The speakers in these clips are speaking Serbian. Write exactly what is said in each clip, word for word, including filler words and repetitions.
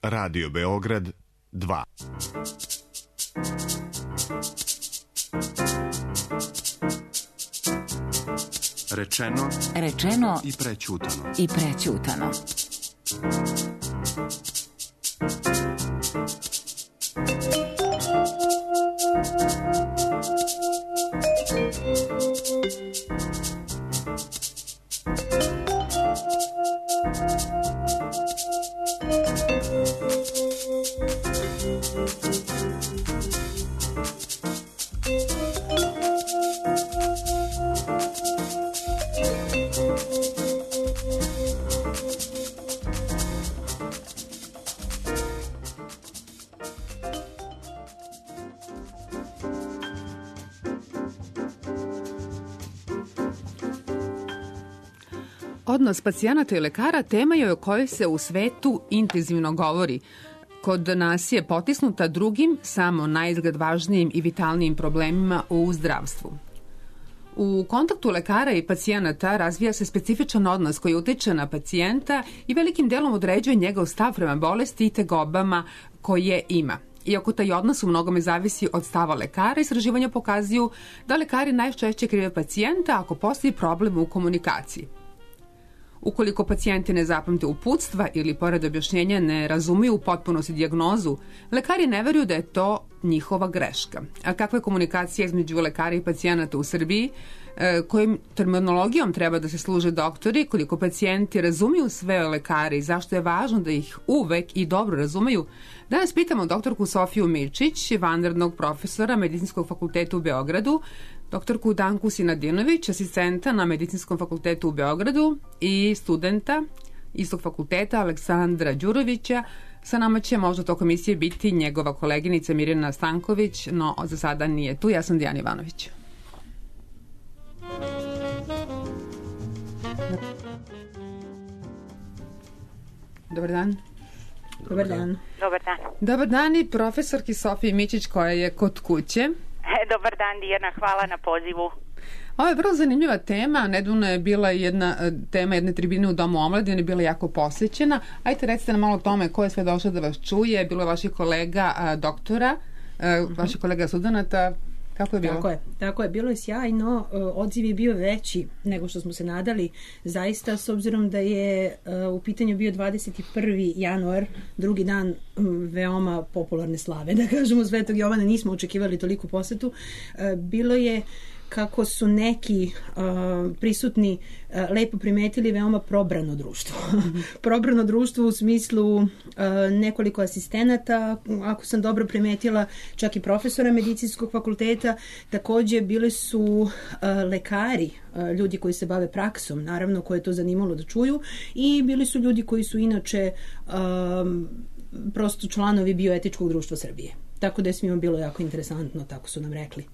Radio Beograd dva. Rečeno, rečeno i prećutano. I prećutano. Odnos pacijenata i lekara tema je o kojoj se u svetu intenzivno govori. Kod nas je potisnuta drugim, samo naizgled važnijim i vitalnijim problemima u zdravstvu. U kontaktu lekara i pacijenata razvija se specifičan odnos koji utiče na pacijenta i velikim delom određuje njegov stav prema bolesti i tegobama koje ima. Iako taj odnos u mnogome zavisi od stava lekara, istraživanja pokazuju da lekari najčešće krive pacijenta ako postoji problem u komunikaciji. Ukoliko pacijenti ne zapamte uputstva ili pored objašnjenja ne razumiju u potpunosti dijagnozu, lekari ne veruju da je to njihova greška. A kakva je komunikacija između lekara i pacijenata u Srbiji? E, kojim terminologijom treba da se služe doktori? Koliko pacijenti razumiju sve o lekari i zašto je važno da ih uvek i dobro razumeju? Danas pitamo doktorku Sofiju Mičić, vanrednog profesora Medicinskog fakulteta u Beogradu, doktorku Danku Sinadinović, asistenta na Medicinskom fakultetu u Beogradu i studenta istog fakulteta Aleksandra Đurovića. Sa nama će možda tokom emisije biti njegova koleginica Mirjana Stanković, no za sada nije tu. Ja sam Dijana Ivanović. Dobar dan. Dobar dan. Dobar dan. Dobar dan i profesorki Sofiji Mičić koja je kod kuće. Dobar dan, Dijana, hvala na pozivu. Ovo je vrlo zanimljiva tema. Nedavno je bila jedna tema jedne tribine u Domu omladine, je bila jako posvećena. Ajte, recite nam malo o tome ko je sve došao da vas čuje. Bilo je vaših kolega a, doktora, a, vaših kolega studenata. Kako je bilo? Tako je, tako je, bilo je sjajno, odziv je bio veći nego što smo se nadali, zaista, s obzirom da je u pitanju bio dvadeset prvi januar, drugi dan veoma popularne slave, da kažemo, Svetog Jovana, nismo očekivali toliku posetu. Bilo je, kako su neki uh, prisutni uh, lepo primetili, veoma probrano društvo. Probrano društvo u smislu uh, nekoliko asistenata, ako sam dobro primetila, čak i profesora Medicinskog fakulteta. Takođe bili su uh, lekari, uh, ljudi koji se bave praksom, naravno, koje je to zanimalo da čuju, i bili su ljudi koji su inače um, prosto članovi Bioetičkog društva Srbije. Tako da je svima bilo jako interesantno, tako su nam rekli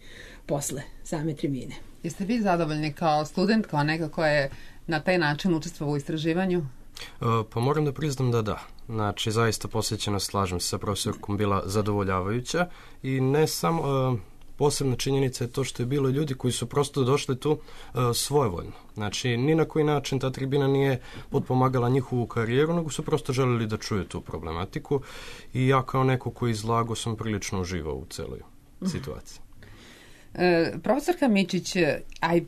posle same tribine. Jeste vi zadovoljni kao student, kao neka koja je na taj način učestvovao u istraživanju? Uh, pa moram da priznam da da. Znači, zaista posvećenost, slažem se sa profesorkom, bila zadovoljavajuća i ne samo... Uh, posebna činjenica je to što je bilo ljudi koji su prosto došli tu uh, svojevoljno. Znači, ni na koji način ta tribina nije potpomagala njihovu karijeru, nego su prosto želeli da čuju tu problematiku i ja kao neko koji izlago sam prilično uživao u celoj situaciji. E, profesorka Mičić, aj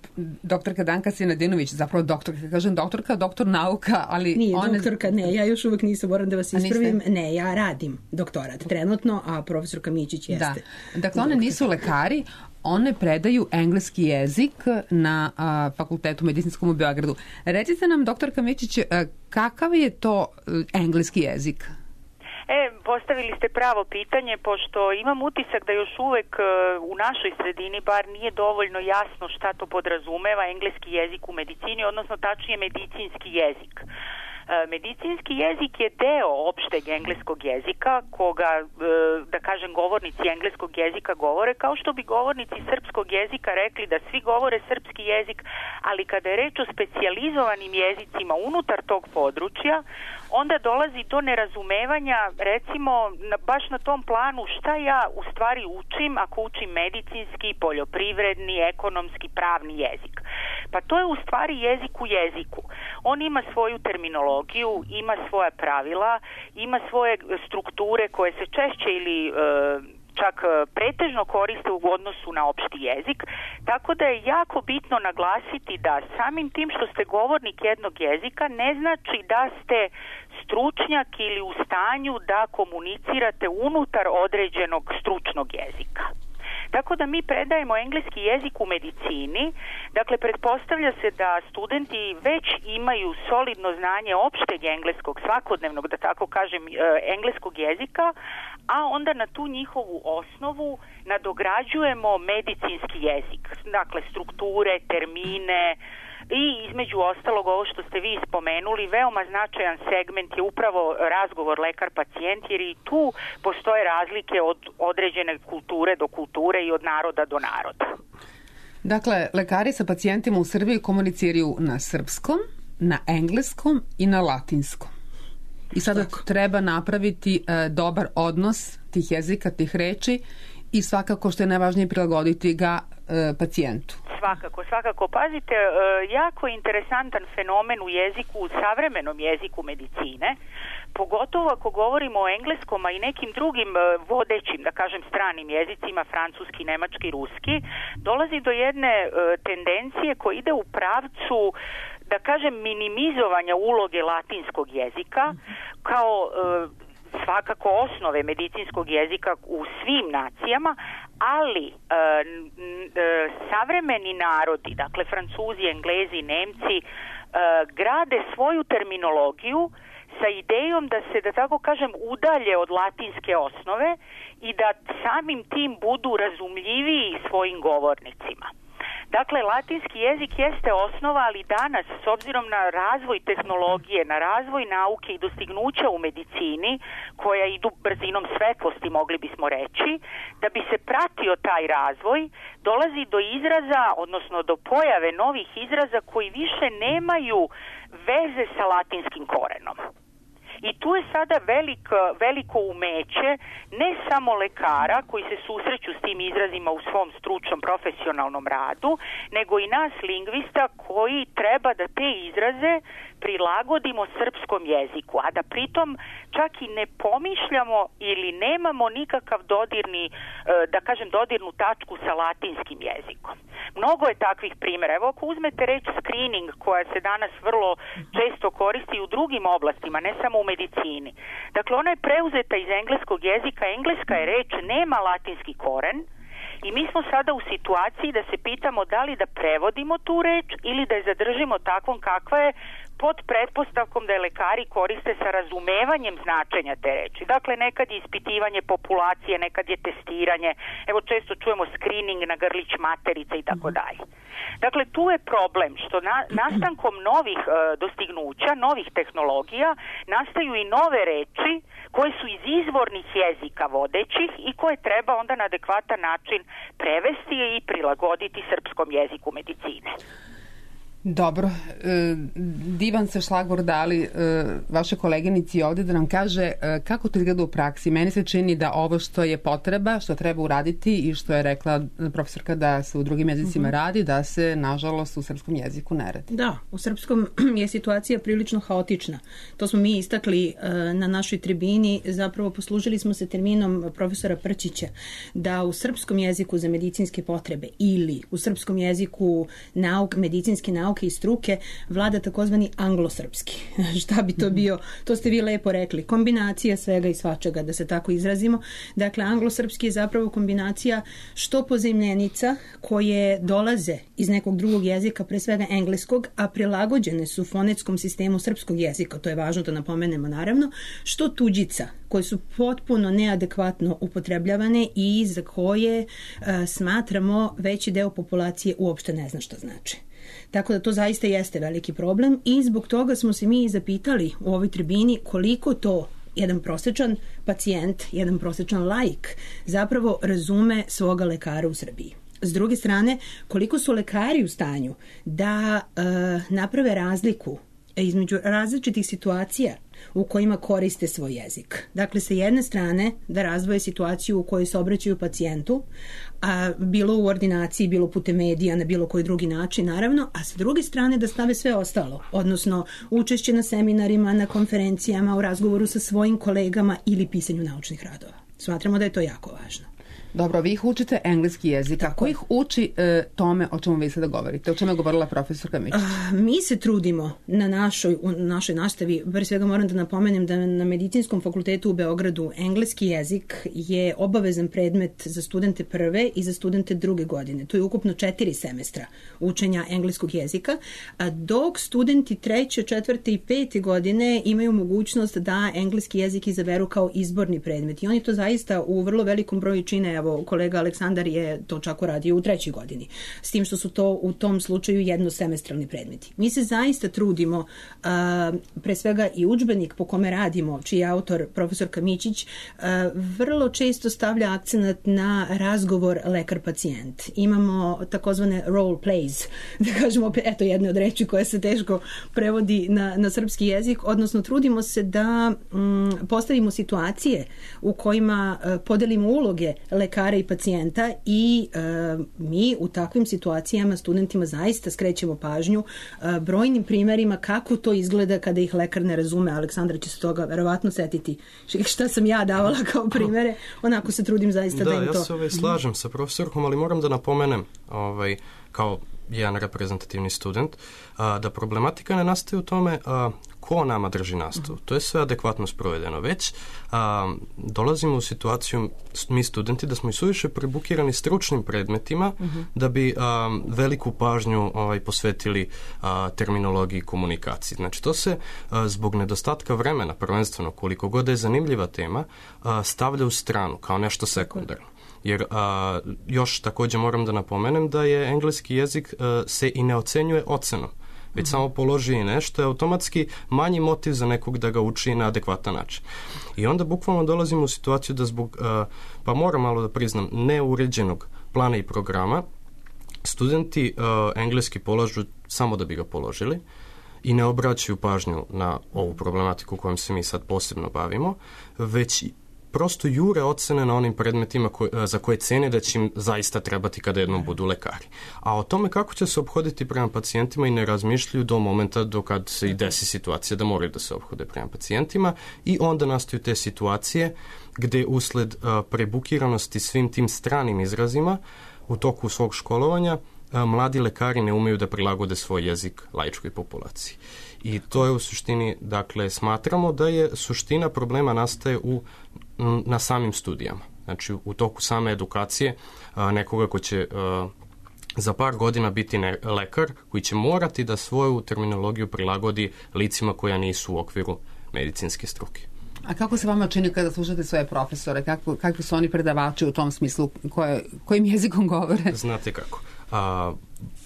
doktorka Danka Sinadinović, zapravo doktorka, kažem doktorka, doktor nauka, ali... Nije one... doktorka, ne, ja još uvek nisam, moram da vas ispravim, ne, ja radim doktorat trenutno, a profesorka Mičić jeste. Da, dakle one nisu lekari, one predaju engleski jezik na a, fakultetu medicinskom u Beogradu. Recite nam, doktorka Mičić, a, kakav je to engleski jezik? E, postavili ste pravo pitanje, pošto imam utisak da još uvek u našoj sredini bar nije dovoljno jasno šta to podrazumeva engleski jezik u medicini, odnosno tačnije medicinski jezik. Medicinski jezik je deo opšteg engleskog jezika, koga, da kažem, govornici engleskog jezika govore, kao što bi govornici srpskog jezika rekli da svi govore srpski jezik, ali kada je reč o specijalizovanim jezicima unutar tog područja, onda dolazi do nerazumevanja, recimo na, baš na tom planu šta ja u stvari učim ako učim medicinski, poljoprivredni, ekonomski, pravni jezik. Pa to je u stvari jezik u jeziku. On ima svoju terminologiju, ima svoja pravila, ima svoje strukture koje se češće ili e, čak pretežno koriste u odnosu na opšti jezik, tako da je jako bitno naglasiti da samim tim što ste govornik jednog jezika ne znači da ste stručnjak ili u stanju da komunicirate unutar određenog stručnog jezika. Tako da mi predajemo engleski jezik u medicini, dakle pretpostavlja se da studenti već imaju solidno znanje opšteg engleskog, svakodnevnog, da tako kažem, engleskog jezika, a onda na tu njihovu osnovu nadograđujemo medicinski jezik, dakle strukture, termine, i između ostalog ovo što ste vi spomenuli, veoma značajan segment je upravo razgovor lekar-pacijent, jer i tu postoje razlike od određene kulture do kulture i od naroda do naroda. Dakle, lekari sa pacijentima u Srbiji komuniciraju na srpskom, na engleskom i na latinskom. I sada Tako. treba napraviti e, dobar odnos tih jezika, tih reči i svakako što je najvažnije prilagoditi ga e, pacijentu. Svakako, svakako. Pazite, jako interesantan fenomen u jeziku, u savremenom jeziku medicine, pogotovo ako govorimo o engleskom, a i nekim drugim vodećim, da kažem, stranim jezicima, francuski, nemački, ruski, dolazi do jedne tendencije koja ide u pravcu, da kažem, minimizovanja uloge latinskog jezika kao svakako osnove medicinskog jezika u svim nacijama, ali e, e, savremeni narodi, dakle Francuzi, Englezi, Nemci, e, grade svoju terminologiju sa idejom da se, da tako kažem, udalje od latinske osnove i da samim tim budu razumljiviji svojim govornicima. Dakle, latinski jezik jeste osnova, ali danas, s obzirom na razvoj tehnologije, na razvoj nauke i dostignuća u medicini, koja idu brzinom svetlosti, mogli bismo reći, da bi se pratio taj razvoj, dolazi do izraza, odnosno do pojave novih izraza koji više nemaju veze sa latinskim korenom. I tu je sada velik, veliko umeće ne samo lekara koji se susreću s tim izrazima u svom stručnom profesionalnom radu, nego i nas lingvista koji treba da te izraze prilagodimo srpskom jeziku, a da pritom čak i ne pomišljamo ili nemamo nikakav dodirni, da kažem, dodirnu tačku sa latinskim jezikom. Mnogo je takvih primjera. Evo, ako uzmete reč screening, koja se danas vrlo često koristi u drugim oblastima, ne samo u medicini. Dakle, ona je preuzeta iz engleskog jezika, engleska je reč, nema latinski koren, i mi smo sada u situaciji da se pitamo da li da prevodimo tu reč ili da je zadržimo takvom kakva je, pod pretpostavkom da je lekari koriste sa razumevanjem značenja te reči. Dakle, nekad je ispitivanje populacije, nekad je testiranje, evo često čujemo screening na grlić materica i tako dalje. Dakle, tu je problem što na, nastankom novih e, dostignuća, novih tehnologija, nastaju i nove reči koje su iz izvornih jezika vodećih i koje treba onda na adekvatan način prevesti i prilagoditi srpskom jeziku medicine. Dobro, divan se šlagvor dali vaše koleginici ovde da nam kaže kako to izgleda u praksi. Meni se čini da ovo što je potreba, što treba uraditi i što je rekla profesorka da se u drugim jezicima radi, da se nažalost u srpskom jeziku ne radi. Da, u srpskom je situacija prilično haotična. To smo mi istakli na našoj tribini, zapravo poslužili smo se terminom profesora Prčića da u srpskom jeziku za medicinske potrebe ili u srpskom jeziku nauk, medicinske nauke i struke vlada takozvani anglosrpski. Šta bi to bio? To ste vi lepo rekli. Kombinacija svega i svačega, da se tako izrazimo. Dakle, anglosrpski je zapravo kombinacija što pozemljenica koje dolaze iz nekog drugog jezika, pre svega engleskog, a prilagođene su fonetskom sistemu srpskog jezika, to je važno da napomenemo naravno, što tuđica, koje su potpuno neadekvatno upotrebljavane i za koje uh, smatramo veći deo populacije uopšte ne zna šta znači. Tako da to zaista jeste veliki problem i zbog toga smo se mi zapitali u ovoj tribini koliko to jedan prosječan pacijent, jedan prosječan laik zapravo razume svoga lekara u Srbiji. S druge strane, koliko su lekari u stanju da uh, naprave razliku između različitih situacija u kojima koriste svoj jezik. Dakle, sa jedne strane da razdvoje situaciju u kojoj se obraćaju pacijentu, a bilo u ordinaciji, bilo putem medija, na bilo koji drugi način, naravno, a sa druge strane da stave sve ostalo, odnosno učešće na seminarima, na konferencijama, u razgovoru sa svojim kolegama ili pisanju naučnih radova. Smatramo da je to jako važno. Dobro, vi ih učite engleski jezik. Kako ih uči e, tome o čemu vi sada govorite? O čemu je govorila profesorka Mičić? Uh, mi se trudimo na našoj, u našoj nastavi. Pre svega moram da napomenem da na Medicinskom fakultetu u Beogradu engleski jezik je obavezan predmet za studente prve i za studente druge godine. To je ukupno četiri semestra učenja engleskog jezika, a dok studenti treće, četvrte i pete godine imaju mogućnost da engleski jezik izaberu kao izborni predmet. I oni to zaista u vrlo velikom broju čine. Evo, kolega Aleksandar je to čak uradio u trećoj godini. S tim što su to u tom slučaju jednosemestralni predmeti. Mi se zaista trudimo, uh, pre svega i udžbenik po kome radimo, čiji je autor profesorka Mičić, uh, vrlo često stavlja akcenat na razgovor lekar-pacijent. Imamo takozvane role plays, da kažemo, eto jedne od reči koja se teško prevodi na, na srpski jezik, odnosno trudimo se da um, postavimo situacije u kojima uh, podelimo uloge lekara i pacijenta i e, mi u takvim situacijama studentima zaista skrećemo pažnju e, brojnim primerima kako to izgleda kada ih lekar ne razume. Aleksandra će se toga verovatno setiti šta sam ja davala kao primere. Onako se trudim zaista da, da im to... Da, ja se ovaj, slažem sa profesorkom, ali moram da napomenem ovaj, kao jedan reprezentativni student, a, da problematika ne nastaje u tome a, ko nama drži nastavu. To je sve adekvatno sprovedeno. Već a, dolazimo u situaciju, mi studenti, da smo i suviše prebukirani stručnim predmetima uh-huh. da bi a, veliku pažnju ovaj, posvetili a, terminologiji i komunikaciji. Znači, to se a, zbog nedostatka vremena, prvenstveno, koliko god je zanimljiva tema, a, stavlja u stranu kao nešto sekundarno. Jer a, još također moram da napomenem da je engleski jezik a, se i ne ocenjuje ocenom, već mm-hmm. samo položi nešto je automatski manji motiv za nekog da ga uči na adekvatan način. I onda bukvalno dolazimo u situaciju da zbog, a, pa moram malo da priznam, neuređenog plana i programa, studenti a, engleski polažu samo da bi ga položili i ne obraćaju pažnju na ovu problematiku kojom se mi sad posebno bavimo, već prosto jure ocene na onim predmetima koj, za koje cene da će im zaista trebati kada jednom budu lekari. A o tome kako će se ophoditi prema pacijentima i ne razmišljaju do momenta do kad se i desi situacija da moraju da se ophode prema pacijentima i onda nastaju te situacije gde usled a, prebukiranosti svim tim stranim izrazima u toku svog školovanja a, mladi lekari ne umeju da prilagode svoj jezik laičkoj populaciji. I to je u suštini, dakle, smatramo da je suština problema nastaje u na samim studijama. Znači, u toku same edukacije a, nekoga ko će a, za par godina biti ne, lekar, koji će morati da svoju terminologiju prilagodi licima koja nisu u okviru medicinske struke. A kako se vama čini kada slušate svoje profesore? Kako, kakvi su oni predavači u tom smislu? Koje, kojim jezikom govore? Znate kako. A,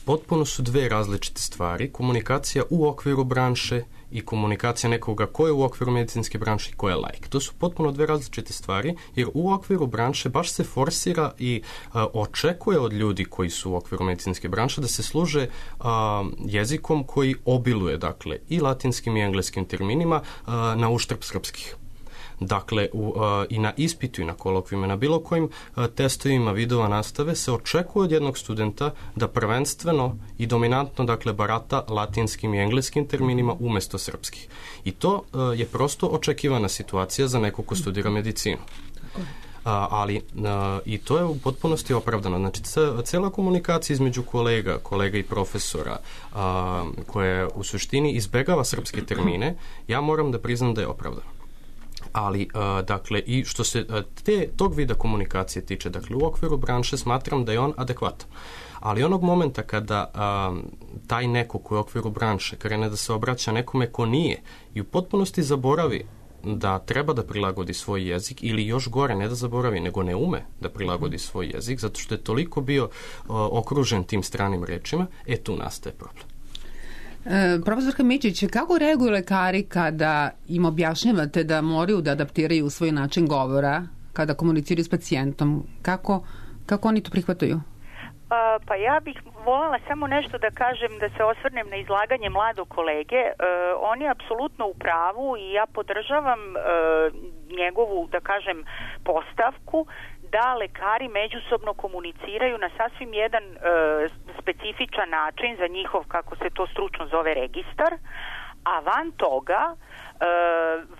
potpuno su dve različite stvari. Komunikacija u okviru branše i komunikacija nekoga ko je u okviru medicinske branše i ko je laik. To su potpuno dve različite stvari, jer u okviru branše baš se forsira i a, očekuje od ljudi koji su u okviru medicinske branše da se služe a, jezikom koji obiluje, dakle, i latinskim i engleskim terminima a, na uštrb srpskih. Dakle, u, uh, i na ispitu i na kolokvijima, na bilo kojim uh, testovima vidova nastave se očekuje od jednog studenta da prvenstveno i dominantno, dakle, barata latinskim i engleskim terminima umesto srpskih. I to uh, je prosto očekivana situacija za nekog ko studira medicinu. Uh, ali uh, i to je u potpunosti opravdano. Znači, cela komunikacija između kolega, kolega i profesora uh, koja u suštini izbegava srpske termine, ja moram da priznam da je opravdano. Ali, uh, dakle, i što se uh, te, tog vida komunikacije tiče, dakle, u okviru branše smatram da je on adekvatan. Ali onog momenta kada uh, taj neko koji u okviru branše krene da se obraća nekome ko nije i u potpunosti zaboravi da treba da prilagodi svoj jezik ili još gore, ne da zaboravi, nego ne ume da prilagodi svoj jezik, zato što je toliko bio uh, okružen tim stranim rečima, e tu nastaje problem. E, profesorka Mičić, kako reaguju lekari kada im objašnjavate da moraju da adaptiraju svoj način govora kada komuniciraju s pacijentom? Kako, kako oni to prihvataju? Pa ja bih voljela samo nešto da kažem, da se osvrnem na izlaganje mladog kolege. On je apsolutno u pravu i ja podržavam njegovu, da kažem, postavku da lekari međusobno komuniciraju na sasvim jedan specifičan način za njihov, kako se to stručno zove, registar, a van toga E,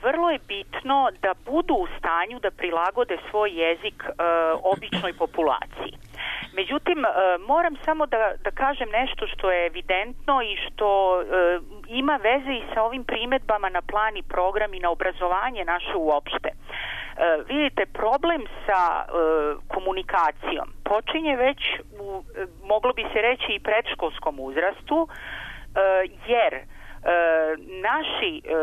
vrlo je bitno da budu u stanju da prilagode svoj jezik e, običnoj populaciji. Međutim, e, moram samo da, da kažem nešto što je evidentno i što e, ima veze i sa ovim primedbama na plan i program i na obrazovanje naše uopšte. E, vidite, problem sa e, komunikacijom počinje već u, moglo bi se reći, i predškolskom uzrastu, e, jer E, naši, e,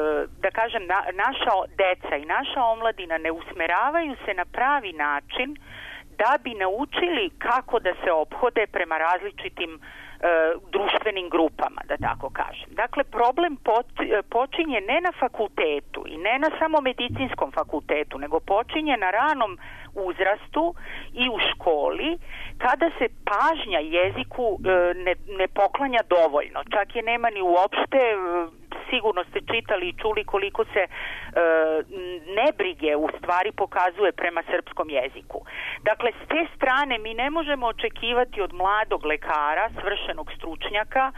da kažem, na, naša deca i naša omladina ne usmeravaju se na pravi način da bi naučili kako da se ophode prema različitim e, društvenim grupama, da tako kažem. Dakle, problem pot, počinje ne na fakultetu i ne na samo medicinskom fakultetu, nego počinje na ranom uzrastu i u školi, kada se pažnja jeziku e, ne, ne poklanja dovoljno. Čak je nema ni uopšte. Sigurno ste čitali i čuli koliko se e, nebrige u stvari pokazuje prema srpskom jeziku. Dakle, s te strane mi ne možemo očekivati od mladog lekara, svršenog stručnjaka,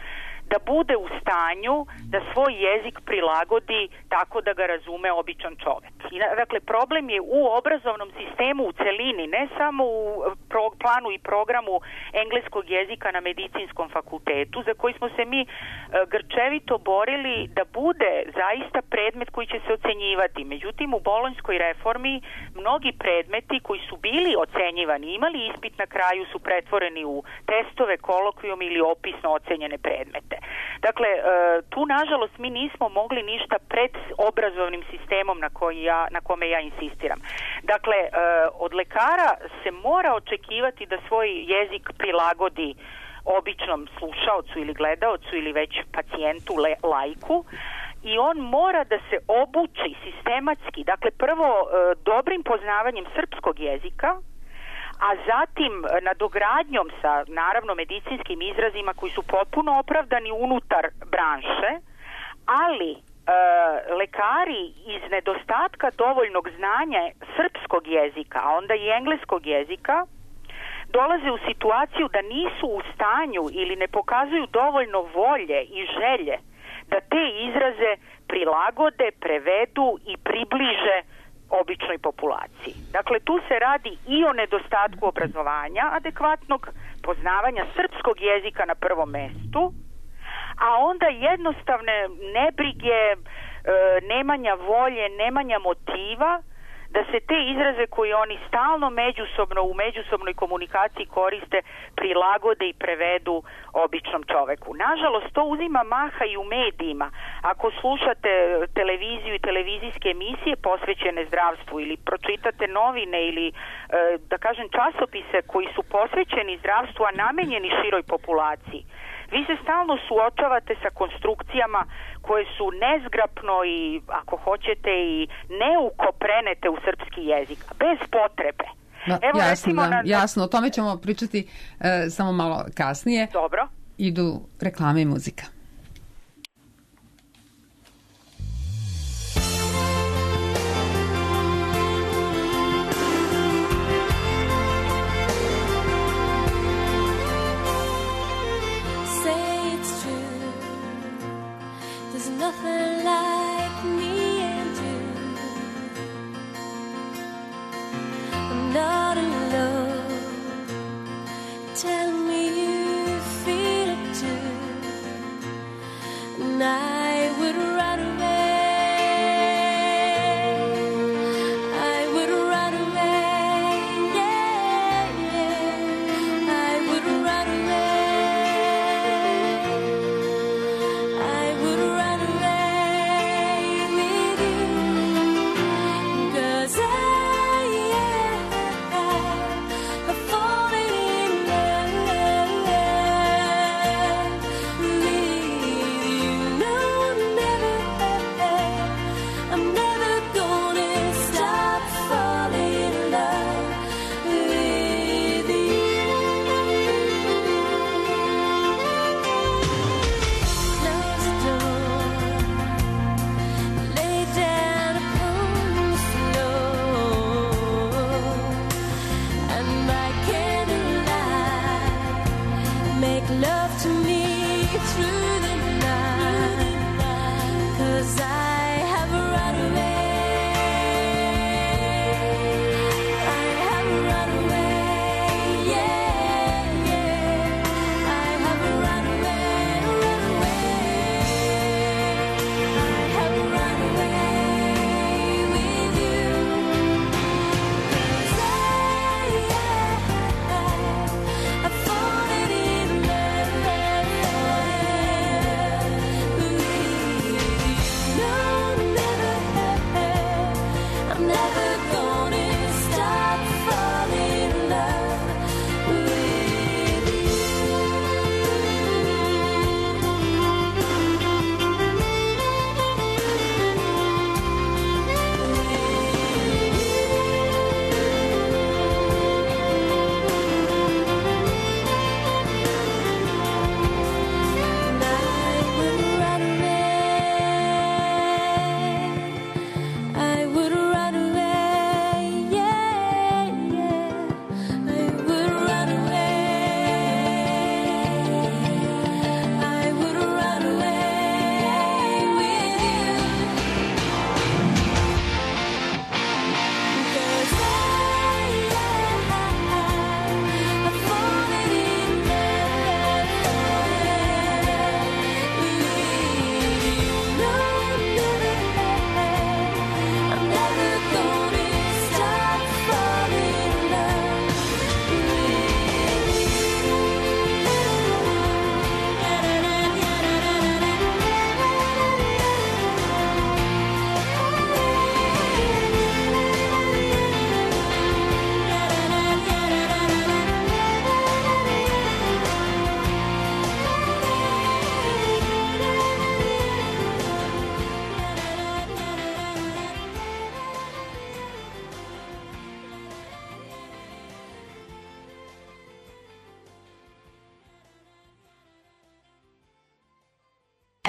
da bude u stanju da svoj jezik prilagodi tako da ga razume običan čovek. I, dakle, problem je u obrazovnom sistemu u celini, ne samo u pro, planu i programu engleskog jezika na medicinskom fakultetu, za koji smo se mi e, grčevito borili da bude zaista predmet koji će se ocenjivati. Međutim, u bolonjskoj reformi mnogi predmeti koji su bili ocenjivani, imali ispit na kraju, su pretvoreni u testove, kolokvijum ili opisno ocenjene predmete. Dakle, tu nažalost mi nismo mogli ništa pred obrazovnim sistemom na, koji ja, na kome ja insistiram. Dakle, od lekara se mora očekivati da svoj jezik prilagodi običnom slušaocu ili gledaocu ili već pacijentu, le, lajku, i on mora da se obuči sistematski, dakle prvo dobrim poznavanjem srpskog jezika, a zatim nadogradnjom sa, naravno, medicinskim izrazima koji su potpuno opravdani unutar branše, ali e, lekari iz nedostatka dovoljnog znanja srpskog jezika, a onda i engleskog jezika, dolaze u situaciju da nisu u stanju ili ne pokazuju dovoljno volje i želje da te izraze prilagode, prevedu i približe običnoj populaciji. Dakle, tu se radi i o nedostatku obrazovanja, adekvatnog poznavanja srpskog jezika na prvom mestu, a onda jednostavne nebrige, e, nemanja volje, nemanja motiva da se te izraze koje oni stalno međusobno u međusobnoj komunikaciji koriste prilagode i prevedu običnom čoveku. Nažalost, to uzima maha i u medijima. Ako slušate televiziju i televizijske emisije posvećene zdravstvu ili pročitate novine ili, da kažem, časopise koji su posvećeni zdravstvu, a namenjeni široj populaciji, vi se stalno suočavate sa konstrukcijama koje su nezgrapno i, ako hoćete, i neuko prenete u srpski jezik, bez potrebe. Da, Evo, jasno, recimo, da, na... jasno, o tome ćemo pričati e, samo malo kasnije. Dobro. Idu reklame i muzika. Nothing like me and you. I'm not alone. Tell me you feel it too.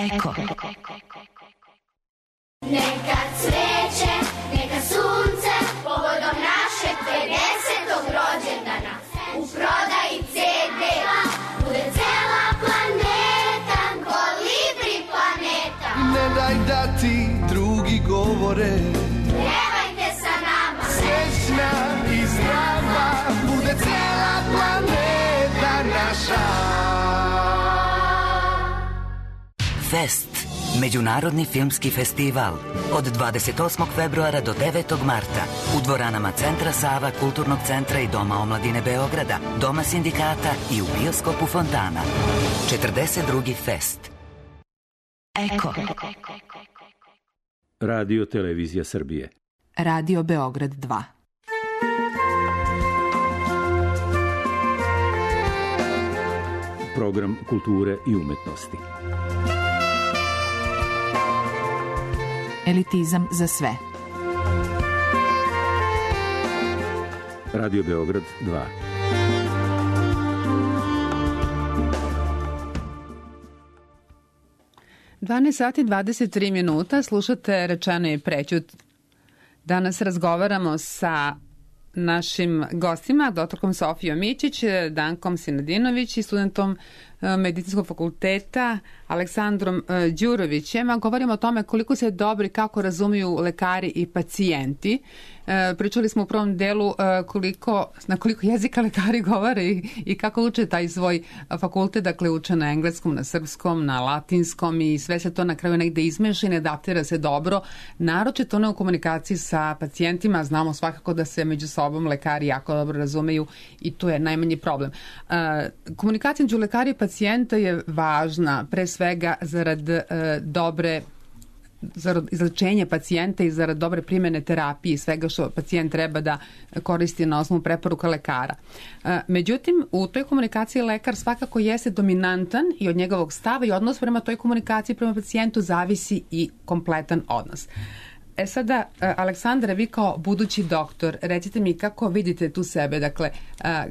Eko. Neka cveće, neka sunce, povodom našeg pedesetog rođendana. U prodaji ce de bude cela planeta, Kolibri planeta. Ne daj da ti drugi govore, pevajte sa nama. Srećna i zdrava bude cela planeta naša. Fest. Međunarodni filmski festival od dvadeset osmog februara do devetog marta u dvoranama Centra Sava, Kulturnog centra i Doma omladine Beograda, Doma sindikata i u bioskopu Fontana. četrdeset drugi Fest. Eko. Radio Televizija Srbije. Radio Beograd dva. Program kulture i umetnosti. Elitizam za sve. Radio Beograd dva. dvanaest sati dvadeset tri minuta, slušate Rečeno i prećut. Danas razgovaramo sa našim gostima, doktorkom Sofijom Mićić, Dankom Sinadinović i studentom Medicinskog fakulteta Aleksandrom Đurovićem. Govorimo o tome koliko se dobro i kako razumiju lekari i pacijenti. Pričali smo u prvom delu koliko, na koliko jezika lekari govore i, i kako uče taj svoj fakultet, dakle uče na engleskom, na srpskom, na latinskom i sve se to na kraju negde izmeša i ne adaptira se dobro. Naročito ne u komunikaciji sa pacijentima, znamo svakako da se među sobom lekari jako dobro razumeju i tu je najmanji problem. Komunikacija među lekari i pacijenta je važna, pre svega zarad e, dobre zarad izlečenja pacijenta i zarad dobre primene terapije i svega što pacijent treba da koristi na osnovu preporuka lekara. E, međutim, u toj komunikaciji lekar svakako jeste dominantan i od njegovog stava i odnos prema toj komunikaciji prema pacijentu zavisi i kompletan odnos. E sada, Aleksandra, vi kao budući doktor, recite mi kako vidite tu sebe, dakle,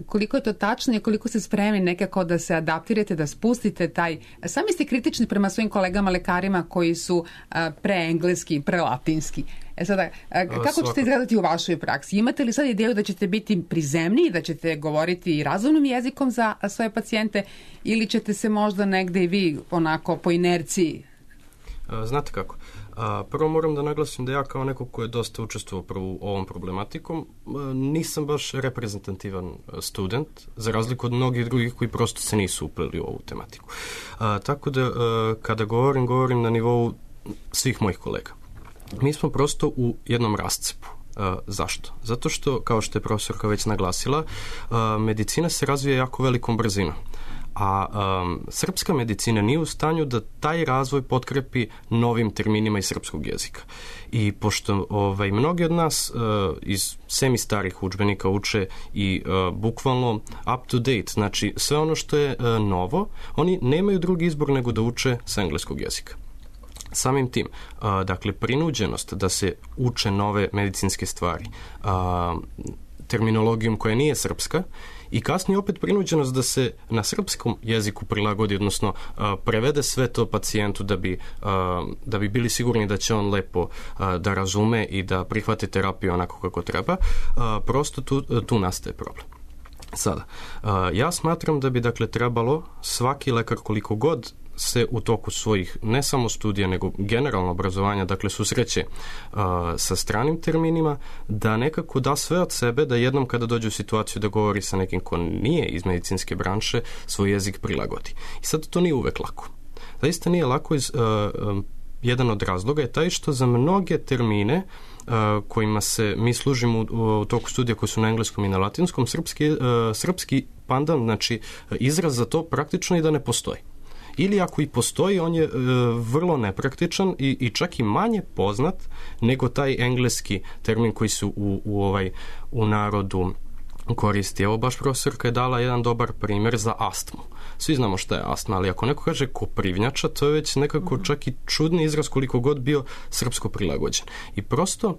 koliko je to tačno i koliko ste spremni nekako da se adaptirate, da spustite taj, sami ste kritični prema svojim kolegama lekarima koji su preengleski, prelatinski. E sada, kako ćete izgledati u vašoj praksi? Imate li sad ideju da ćete biti prizemniji, da ćete govoriti razumnim jezikom za svoje pacijente ili ćete se možda negde i vi onako po inerciji? Znate kako? A, prvo moram da naglasim da ja kao neko ko je dosta učestvovao prvo ovom problematikom, nisam baš reprezentativan student, za razliku od mnogih drugih koji prosto se nisu upleli u ovu tematiku. A, tako da a, kada govorim, govorim na nivou svih mojih kolega. Mi smo prosto u jednom rascepu. Uh, zašto? Zato što, kao što je profesorka već naglasila, uh, medicina se razvija jako velikom brzinom. A um, srpska medicina nije u stanju da taj razvoj potkrepi novim terminima iz srpskog jezika. I pošto ovaj, mnogi od nas uh, iz semi starih udžbenika uče i uh, bukvalno up to date, znači sve ono što je uh, novo, oni nemaju drugi izbor nego da uče sa engleskog jezika. Samim tim, uh, dakle, prinuđenost da se uče nove medicinske stvari uh, terminologijom koja nije srpska i kasnije opet prinuđenost da se na srpskom jeziku prilagodi, odnosno uh, prevede sve to pacijentu da bi, uh, da bi bili sigurni da će on lepo uh, da razume i da prihvate terapiju onako kako treba, uh, prosto tu, tu nastaje problem. Sada, uh, ja smatram da bi dakle trebalo svaki lekar koliko god se u toku svojih ne samo studija nego generalno obrazovanja, dakle susreće uh, sa stranim terminima, da nekako da sve od sebe, da jednom kada dođe u situaciju da govori sa nekim ko nije iz medicinske branše, svoj jezik prilagodi. I sad to nije uvek lako. Zaista nije lako iz, uh, um, jedan od razloga je taj što za mnoge termine uh, kojima se mi služimo u, u toku studija koji su na engleskom i na latinskom, srpski, uh, srpski pandan, znači izraz za to praktično i da ne postoji. Ili ako i postoji, on je e, vrlo nepraktičan i, i čak i manje poznat nego taj engleski termin koji se u, u, ovaj, u narodu koristi. Evo baš profesorka je dala jedan dobar primjer za astmu. Svi znamo šta je astma, ali ako neko kaže koprivnjača, to je već nekako čak i čudni izraz koliko god bio srpsko prilagođen. I prosto uh,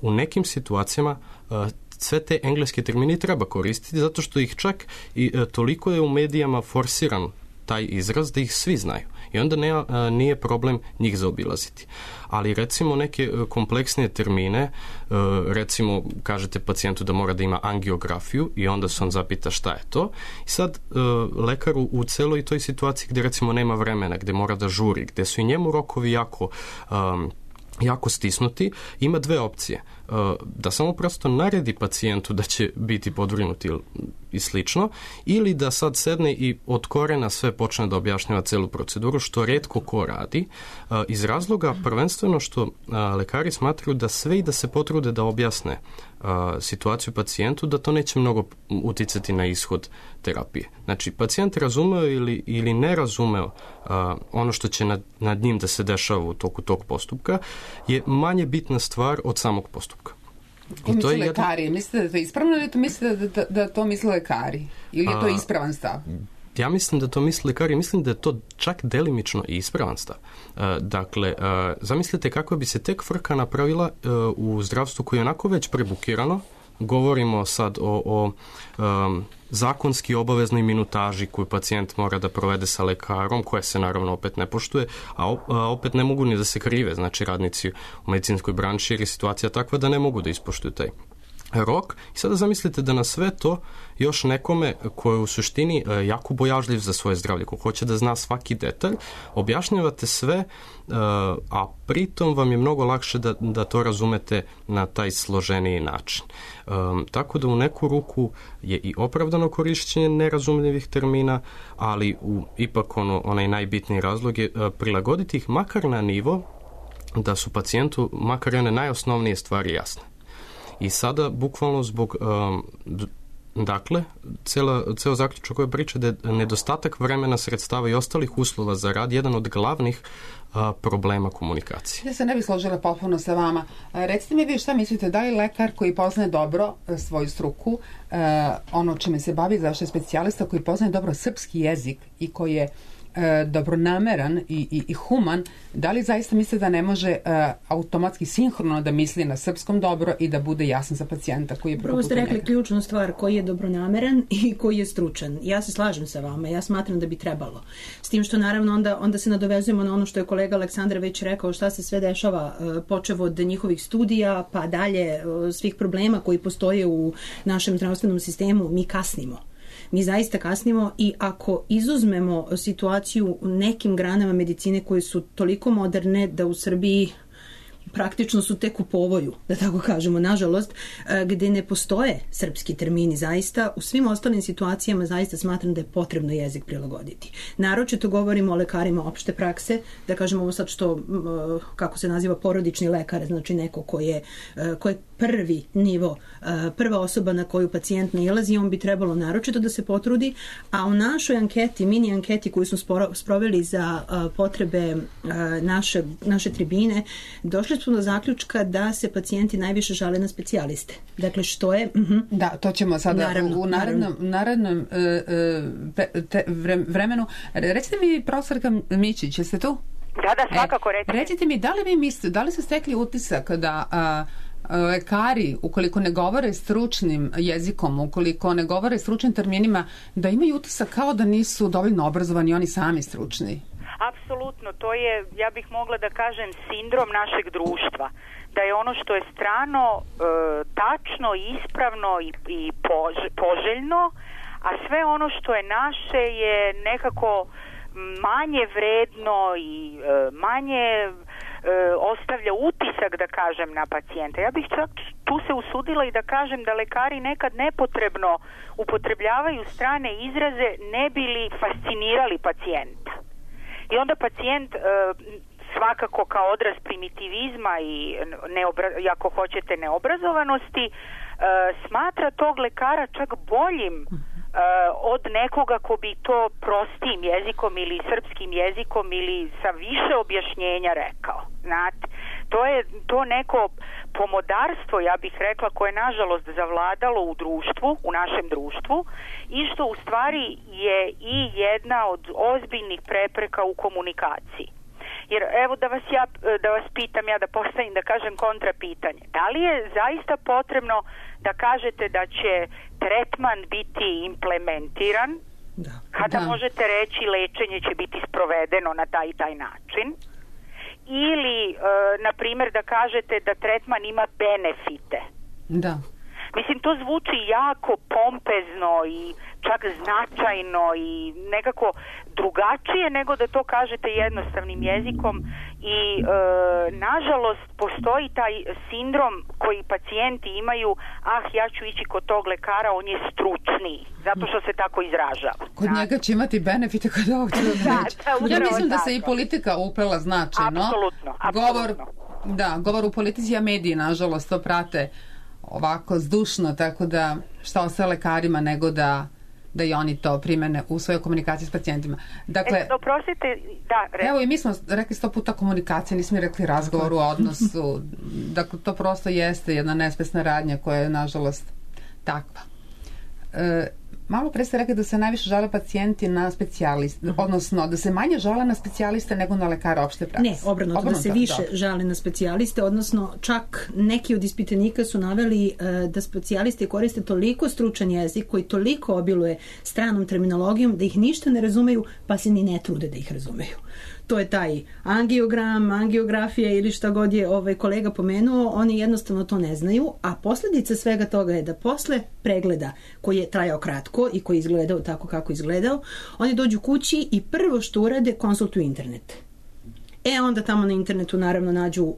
u nekim situacijama uh, sve te engleske termine treba koristiti zato što ih čak i uh, toliko je u medijama forsiran taj izraz da ih svi znaju. I onda ne, nije problem njih zaobilaziti. Ali recimo neke kompleksnije termine, recimo kažete pacijentu da mora da ima angiografiju i onda se on zapita šta je to. I sad lekar u celoj toj situaciji gde recimo nema vremena, gde mora da žuri, gde su i njemu rokovi jako um, jako stisnuti, ima dve opcije. Da samo prosto naredi pacijentu da će biti podvrgnuti i slično, ili da sad sedne i od korena sve počne da objašnjava celu proceduru, što retko ko radi, iz razloga prvenstveno što lekari smatraju da sve i da se potrude da objasne situaciju pacijentu, da to neće mnogo uticati na ishod terapije. Znači, pacijent razumeo ili, ili ne razumeo ono što će nad, nad njim da se dešava u toku tog postupka je manje bitna stvar od samog postupka. I to je lekari. Jedan... Mislite da je to ispravno ili to mislite da, da, da to misle lekari? Ili je to ispravan stav? Ja mislim da to misle lekari. Mislim da je to čak delimično i ispravan stav. Dakle, zamislite kako bi se tek frka napravila u zdravstvu koje je onako već prebukirano. Govorimo sad o, o um, zakonski obaveznoj minutaži koju pacijent mora da provede sa lekarom, koja se naravno opet ne poštuje, a, a opet ne mogu ni da se krive, znači radnici u medicinskoj branši, jer je situacija takva da ne mogu da ispoštuju taj rok. I sada zamislite da na sve to još nekome ko je u suštini jako bojažljiv za svoje zdravlje, ko hoće da zna svaki detalj, objašnjavate sve, a pritom vam je mnogo lakše da, da to razumete na taj složeniji način. Um, tako da u neku ruku je i opravdano korišćenje nerazumljivih termina, ali u, ipak ono, onaj najbitniji razlog je uh, prilagoditi ih makar na nivo da su pacijentu makar one najosnovnije stvari jasne. I sada, bukvalno zbog, um, dakle, cela, ceo zaključak koje priča da je nedostatak vremena, sredstava i ostalih uslova za rad jedan od glavnih uh, problema komunikacije. Ja se ne bih složila potpuno sa vama. Recite mi vi šta mislite, da li lekar koji poznaje dobro svoju struku, uh, ono čime se bavi, zašto je specijalista koji poznaje dobro srpski jezik i koji je E, dobronameran i, i, i human, da li zaista misle da ne može e, automatski sinhrono da misli na srpskom dobro i da bude jasan za pacijenta koji je prvo Prvo ste rekli njega. Ključnu stvar, koji je dobronameran i koji je stručan. Ja se slažem sa vama, ja smatram da bi trebalo. S tim što naravno onda, onda se nadovezujemo na ono što je kolega Aleksandar već rekao, šta se sve dešava, e, počev od njihovih studija pa dalje e, svih problema koji postoje u našem zdravstvenom sistemu, mi kasnimo. Mi zaista kasnimo i ako izuzmemo situaciju u nekim granama medicine koje su toliko moderne da u Srbiji praktično su tek u povoju, da tako kažemo, nažalost, gde ne postoje srpski termini zaista, u svim ostalim situacijama zaista smatram da je potrebno jezik prilagoditi. Naročito govorimo o lekarima opšte prakse, da kažemo ovo sad što, kako se naziva, porodični lekar, znači neko ko je, ko je prvi nivo, prva osoba na koju pacijent nailazi, on bi trebalo naročito da se potrudi, a u našoj anketi, mini anketi koju smo sproveli za potrebe naše, naše tribine, došli smo do zaključka da se pacijenti najviše žale na specijaliste. Dakle, što je... Uh-huh. Da, to ćemo sada naravno, u narednom, narednom uh, uh, te, vremenu. Recite mi, profesorka Mićić, jeste tu? Da, da, svakako e, recite. Recite mi, da li vi mislite, da li ste stekli utisak da... Uh, lekari, ukoliko ne govore stručnim jezikom, ukoliko ne govore stručnim terminima, da imaju utisak kao da nisu dovoljno obrazovani oni sami stručni? Apsolutno, to je, ja bih mogla da kažem, sindrom našeg društva. Da je ono što je strano, e, tačno, ispravno i, i pož, poželjno, a sve ono što je naše je nekako manje vredno i e, manje e, ostavlja utisak, da kažem, na pacijenta. Ja bih čak tu se usudila i da kažem da lekari nekad nepotrebno upotrebljavaju strane izraze ne bi li fascinirali pacijenta. I onda pacijent e, svakako kao odraz primitivizma i neobra- ako hoćete neobrazovanosti e, smatra tog lekara čak boljim e, od nekoga ko bi to prostijim jezikom ili srpskim jezikom ili sa više objašnjenja rekao. Znate, to je to neko pomodarstvo, ja bih rekla, koje je nažalost zavladalo u društvu, u našem društvu, i što u stvari je i jedna od ozbiljnih prepreka u komunikaciji. Jer evo da vas ja da vas pitam, ja da postavim, da kažem, kontrapitanje. Da li je zaista potrebno da kažete da će tretman biti implementiran Da. Kada Da. možete reći lečenje će biti sprovedeno na taj i taj način. Ili, e, na primjer, da kažete da tretman ima benefite. Da. Mislim, to zvuči jako pompezno i čak značajno i nekako drugačije nego da to kažete jednostavnim jezikom i e, nažalost postoji taj sindrom koji pacijenti imaju, ah, ja ću ići kod tog lekara, on je stručniji, zato što se tako izražava. Kod njega će imati benefite kod ovog Da, da, Ja mislim da tako. se i politika uplela značajno. Apsolutno, Govor, apsolutno. da, govor u politici, a mediji nažalost to prate ovako zdušno, tako da šta ostaje lekarima nego da da i oni to primene u svojoj komunikaciji s pacijentima. Dakle, E, oprostite, da, re... evo i mi smo rekli sto puta komunikacija, nismo rekli razgovor u odnosu. Dakle, to prosto jeste jedna nespesna radnja koja je nažalost takva. E, malo pre ste rekli da se najviše žale pacijenti na specijaliste, uh-huh. odnosno da se manje žale na specijaliste nego na lekara opšte prakse. Ne, obrnuto, obrnuto da se više dobro. žale na specijaliste, odnosno čak neki od ispitanika su naveli uh, da specijaliste koriste toliko stručan jezik koji toliko obiluje stranom terminologijom da ih ništa ne razumeju, pa se ni ne trude da ih razumeju. To je taj angiogram, angiografija ili šta god je ovaj kolega pomenuo, oni jednostavno to ne znaju, a posljedica svega toga je da posle pregleda koji je trajao kratko i koji je izgledao tako kako je izgledao, oni dođu kući i prvo što urade konsultuju internet. E onda tamo na internetu naravno nađu uh,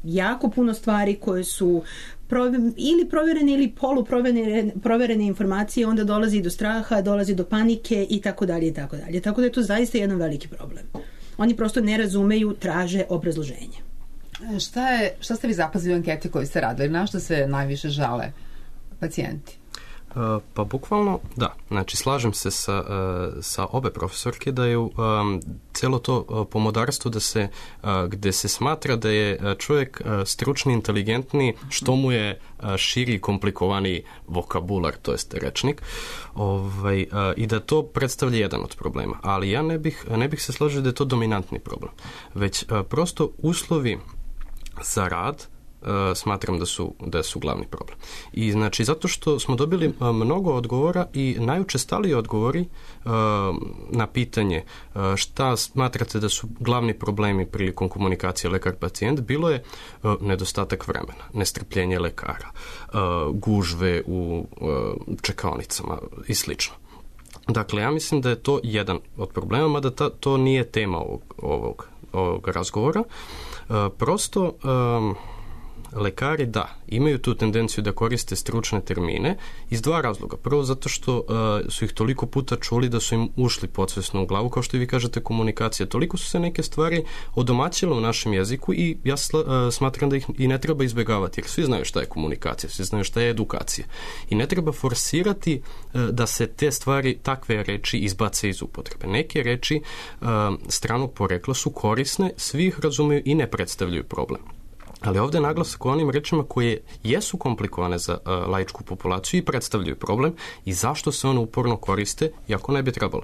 jako puno stvari koje su prov- ili provjerene ili poluproverene proverene informacije, onda dolazi do straha, dolazi do panike i tako dalje i tako dalje. Tako da je to zaista jedan veliki problem. Oni prosto ne razumeju, traže obrazloženje. Šta je, šta ste vi zapazili u anketi koju ste radili? Na što se najviše žale pacijenti? Uh, pa bukvalno, da. Znači, slažem se sa, uh, sa obe profesorke da je um, celo to uh, pomodarstvo da se, uh, gde se smatra da je uh, čovjek uh, stručni, inteligentni, što mu je uh, širi, komplikovaniji vokabular, to jest rečnik, ovaj, uh, i da to predstavlja jedan od problema. Ali ja ne bih, ne bih se složio da je to dominantni problem. Već uh, prosto uslovi za rad Uh, smatram da su, da su glavni problem. I znači, zato što smo dobili uh, mnogo odgovora i najučestaliji odgovori uh, na pitanje uh, šta smatrate da su glavni problemi prilikom komunikacije lekar-pacijent, bilo je uh, nedostatak vremena, nestrpljenje lekara, uh, gužve u uh, čekaonicama i slično. Dakle, ja mislim da je to jedan od problema, mada ta, to nije tema ovog, ovog, ovog razgovora. Uh, prosto um, lekari, da, imaju tu tendenciju da koriste stručne termine iz dva razloga. Prvo, zato što uh, su ih toliko puta čuli da su im ušli podsvesno u glavu, kao što i vi kažete, komunikacija. Toliko su se neke stvari odomaćile u našem jeziku i ja sla, uh, smatram da ih i ne treba izbjegavati, jer svi znaju šta je komunikacija, svi znaju šta je edukacija. I ne treba forsirati uh, da se te stvari, takve reči izbace iz upotrebe. Neke reči uh, stranog porekla su korisne, svi ih razumeju i ne predstavljaju problem. Ali ovdje je naglasak o onim rečima koje jesu komplikovane za uh, laičku populaciju i predstavljaju problem i zašto se one uporno koriste, iako ne bi trebalo.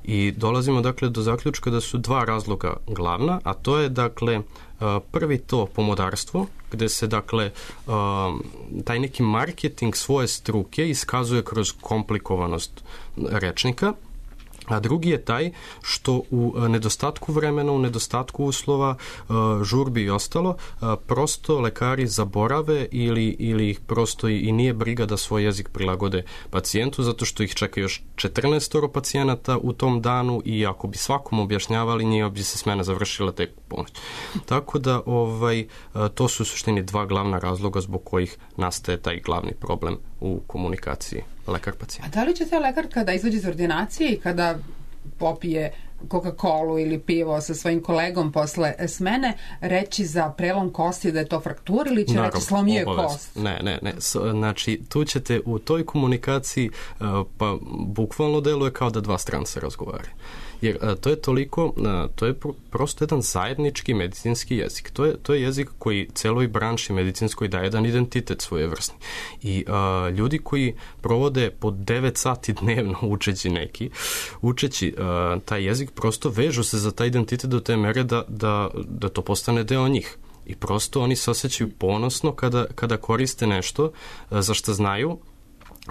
I dolazimo dakle do zaključka da su dva razloga glavna, a to je dakle uh, prvi to pomodarstvo, gde se dakle uh, taj neki marketing svoje struke iskazuje kroz komplikovanost rečnika, a drugi je taj što u nedostatku vremena, u nedostatku uslova, žurbi i ostalo, prosto lekari zaborave ili, ili ih prosto i nije briga da svoj jezik prilagode pacijentu, zato što ih čeka još četrnaest pacijenata u tom danu i ako bi svakom objašnjavali, nije bi se smena završila tek ponoć. Tako da ovaj, to su u suštini dva glavna razloga zbog kojih nastaje taj glavni problem u komunikaciji lekar-pacijent. A da li će taj lekar kada izađe iz ordinacije i kada popije Coca-Colu ili pivo sa svojim kolegom posle smene reći za prelom kosti da je to fraktura ili će Naravno, reći slomio je kost? Ne, ne, ne. Znači, tu ćete u toj komunikaciji pa bukvalno deluje kao da dva stranca razgovaraju. Jer a, to je toliko, a, to je pr- prosto jedan zajednički medicinski jezik. To je, to je jezik koji celoj branši medicinskoj daje jedan identitet svojevrsni. I a, ljudi koji provode po devet sati dnevno učeći neki, učeći a, taj jezik, prosto vežu se za taj identitet do te mere da, da, da to postane deo njih. I prosto oni se osjećaju ponosno kada, kada koriste nešto a, za što znaju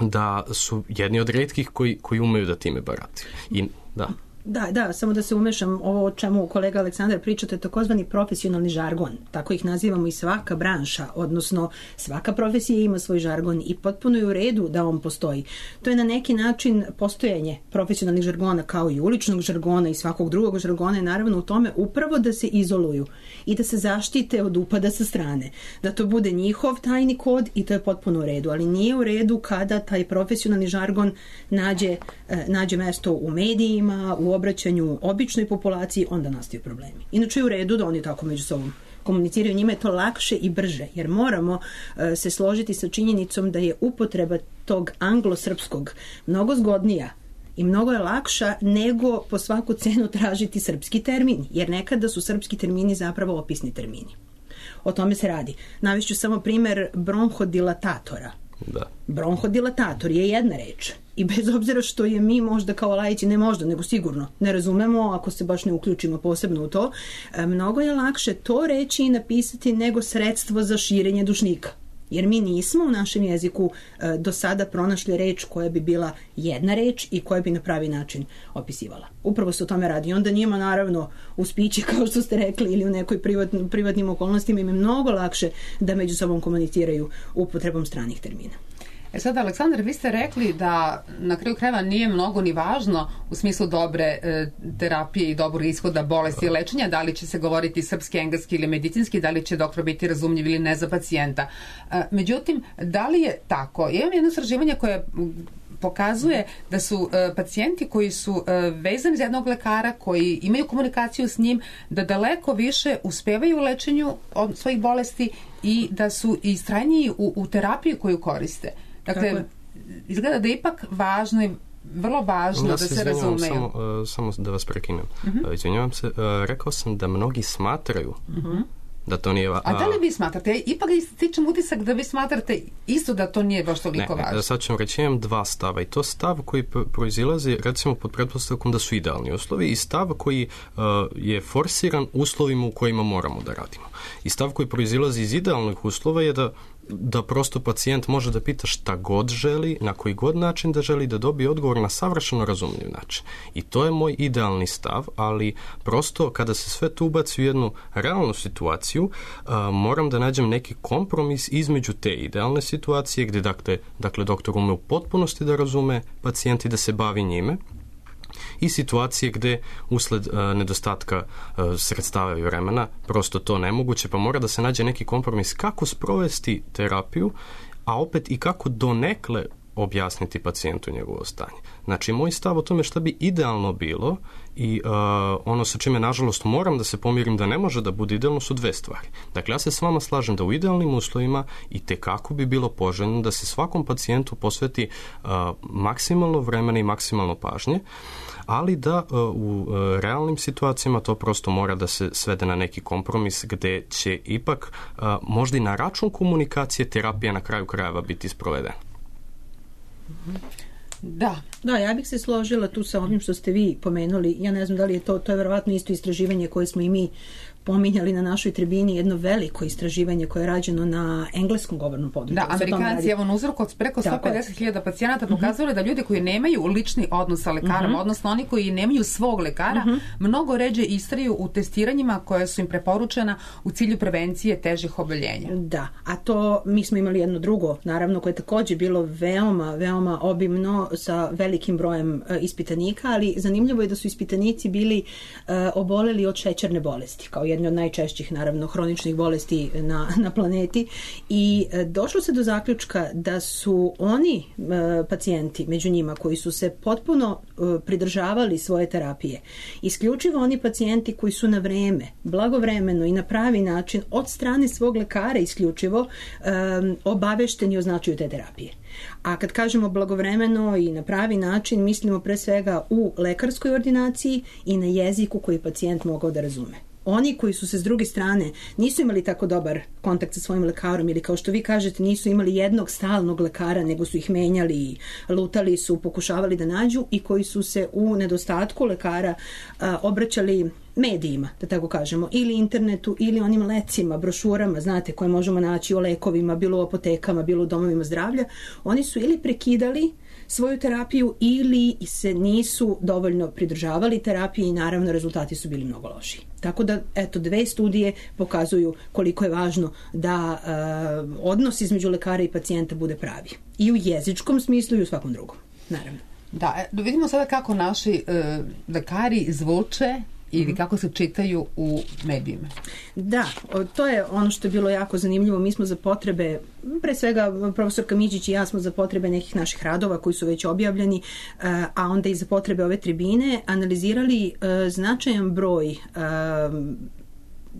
da su jedni od retkih koji, koji umeju da time barataju. I da. Da, da, samo da se umešam, ovo o čemu kolega Aleksandar pričate, takozvani profesionalni žargon, tako ih nazivamo i svaka branša, odnosno svaka profesija ima svoj žargon i potpuno je u redu da on postoji. To je na neki način postojanje profesionalnih žargona kao i uličnog žargona i svakog drugog žargona je naravno u tome upravo da se izoluju i da se zaštite od upada sa strane, da to bude njihov tajni kod i to je potpuno u redu, ali nije u redu kada taj profesionalni žargon nađe, nađe mesto u medijima, u obraćanju običnoj populaciji, onda nastaju problemi. Inače je u redu da oni tako među sobom komuniciraju, njima je to lakše i brže, jer moramo uh, se složiti sa činjenicom da je upotreba tog anglosrpskog mnogo zgodnija i mnogo je lakša nego po svaku cenu tražiti srpski termin, jer nekada su srpski termini zapravo opisni termini. O tome se radi. Navešću samo primer bronhodilatatora. Da. Bronhodilatator je jedna reč i bez obzira što je mi možda kao laici, ne možda, nego sigurno ne razumemo ako se baš ne uključimo posebno u to, mnogo je lakše to reći i napisati nego sredstvo za širenje dušnika. Jer mi nismo u našem jeziku e, do sada pronašli reč koja bi bila jedna reč i koja bi na pravi način opisivala. Upravo se o tome radi. I onda njima naravno u spići, kao što ste rekli, ili u nekoj privatn, privatnim okolnostima im je mnogo lakše da među sobom komuniciraju upotrebom stranih termina. E sad, Aleksandar, vi ste rekli da na kraju krajeva nije mnogo ni važno u smislu dobre e, terapije i dobrog ishoda bolesti i lečenja, da li će se govoriti srpski, engleski ili medicinski, da li će doktor biti razumljiv ili ne za pacijenta. E, međutim, da li je tako? Ja imam jedno istraživanje koje pokazuje da su e, pacijenti koji su e, vezani za jednog lekara, koji imaju komunikaciju s njim, da daleko više uspevaju u lečenju od svojih bolesti i da su istrajniji u, u terapiji koju koriste. Dakle, izgleda da je ipak važno i vrlo važno ja da se razumeju. Samo, uh, samo da vas prekinem. Uh-huh. Uh, izvinjavam se, uh, rekao sam da mnogi smatraju uh-huh. da to nije... A, a da li vi smatrate? Ja ipak stičem utisak da vi smatrate isto da to nije baš toliko ne, važno. Ne, sad ću vam reći, imam dva stava i to stav koji proizilazi recimo pod pretpostavkom da su idealni uslovi i stav koji uh, je forsiran uslovima u kojima moramo da radimo. I stav koji proizilazi iz idealnih uslova je da da prosto pacijent može da pita šta god želi, na koji god način da želi, da dobije odgovor na savršeno razumljiv način. I to je moj idealni stav, ali prosto kada se sve to ubaci u jednu realnu situaciju, uh, moram da nađem neki kompromis između te idealne situacije gdje dakle, dakle doktor ume u potpunosti da razume pacijent i da se bavi njime, i situacije gde usled uh, nedostatka uh, sredstava i vremena prosto to nemoguće, pa mora da se nađe neki kompromis kako sprovesti terapiju, a opet i kako donekle objasniti pacijentu njegovo stanje. Znači, moj stav o tome šta bi idealno bilo i uh, ono sa čime, nažalost, moram da se pomirim da ne može da bude idealno su dve stvari. Dakle, ja se s vama slažem da u idealnim uslovima i tekako bi bilo poželjno da se svakom pacijentu posveti uh, maksimalno vremena i maksimalno pažnje, ali da uh, u uh, realnim situacijama to prosto mora da se svede na neki kompromis gde će ipak uh, možda i na račun komunikacije terapija na kraju krajeva biti sprovedena. Da. Da, ja bih se složila tu sa ovim što ste vi pomenuli. Ja ne znam da li je to, to je verovatno isto istraživanje koje smo i mi pominjali na našoj tribini, jedno veliko istraživanje koje je rađeno na engleskom govornom području. Da, Amerikanci, evo na uzorku od preko sto pedeset hiljada pacijenata pokazali da ljudi koji nemaju lični odnos sa lekarom, uh-huh. odnosno oni koji nemaju svog lekara, uh-huh. mnogo ređe istraju u testiranjima koja su im preporučena u cilju prevencije težih oboljenja. Da, a to mi smo imali jedno drugo, naravno, koje je također bilo veoma, veoma obimno sa velikim brojem uh, ispitanika, ali zanimljivo je da su ispitanici bili uh, oboleli od šećerne bolesti, kao jedne od najčešćih, naravno, hroničnih bolesti na, na planeti i e, došlo se do zaključka da su oni e, pacijenti među njima koji su se potpuno e, pridržavali svoje terapije, isključivo oni pacijenti koji su na vreme, blagovremeno i na pravi način od strane svog lekara isključivo e, obavešteni o značaju te terapije. A kad kažemo blagovremeno i na pravi način, mislimo pre svega u lekarskoj ordinaciji i na jeziku koji pacijent mogao da razume. Oni koji su se s druge strane nisu imali tako dobar kontakt sa svojim lekarom ili kao što vi kažete nisu imali jednog stalnog lekara nego su ih menjali i lutali su, pokušavali da nađu i koji su se u nedostatku lekara a, obraćali medijima, da tako kažemo, ili internetu, ili onim lecima, brošurama, znate, koje možemo naći o lekovima, bilo u apotekama, bilo u domovima zdravlja, oni su ili prekidali svoju terapiju ili se nisu dovoljno pridržavali terapije i naravno rezultati su bili mnogo loši. Tako da, eto, dve studije pokazuju koliko je važno da uh, odnos između lekara i pacijenta bude pravi. I u jezičkom smislu i u svakom drugom, naravno. Da, da vidimo sada kako naši uh, lekari zvuče ili kako se čitaju u medijima. Da, to je ono što je bilo jako zanimljivo. Mi smo za potrebe, pre svega profesor Miđić i ja smo za potrebe nekih naših radova koji su već objavljeni, a onda i za potrebe ove tribine, analizirali značajan broj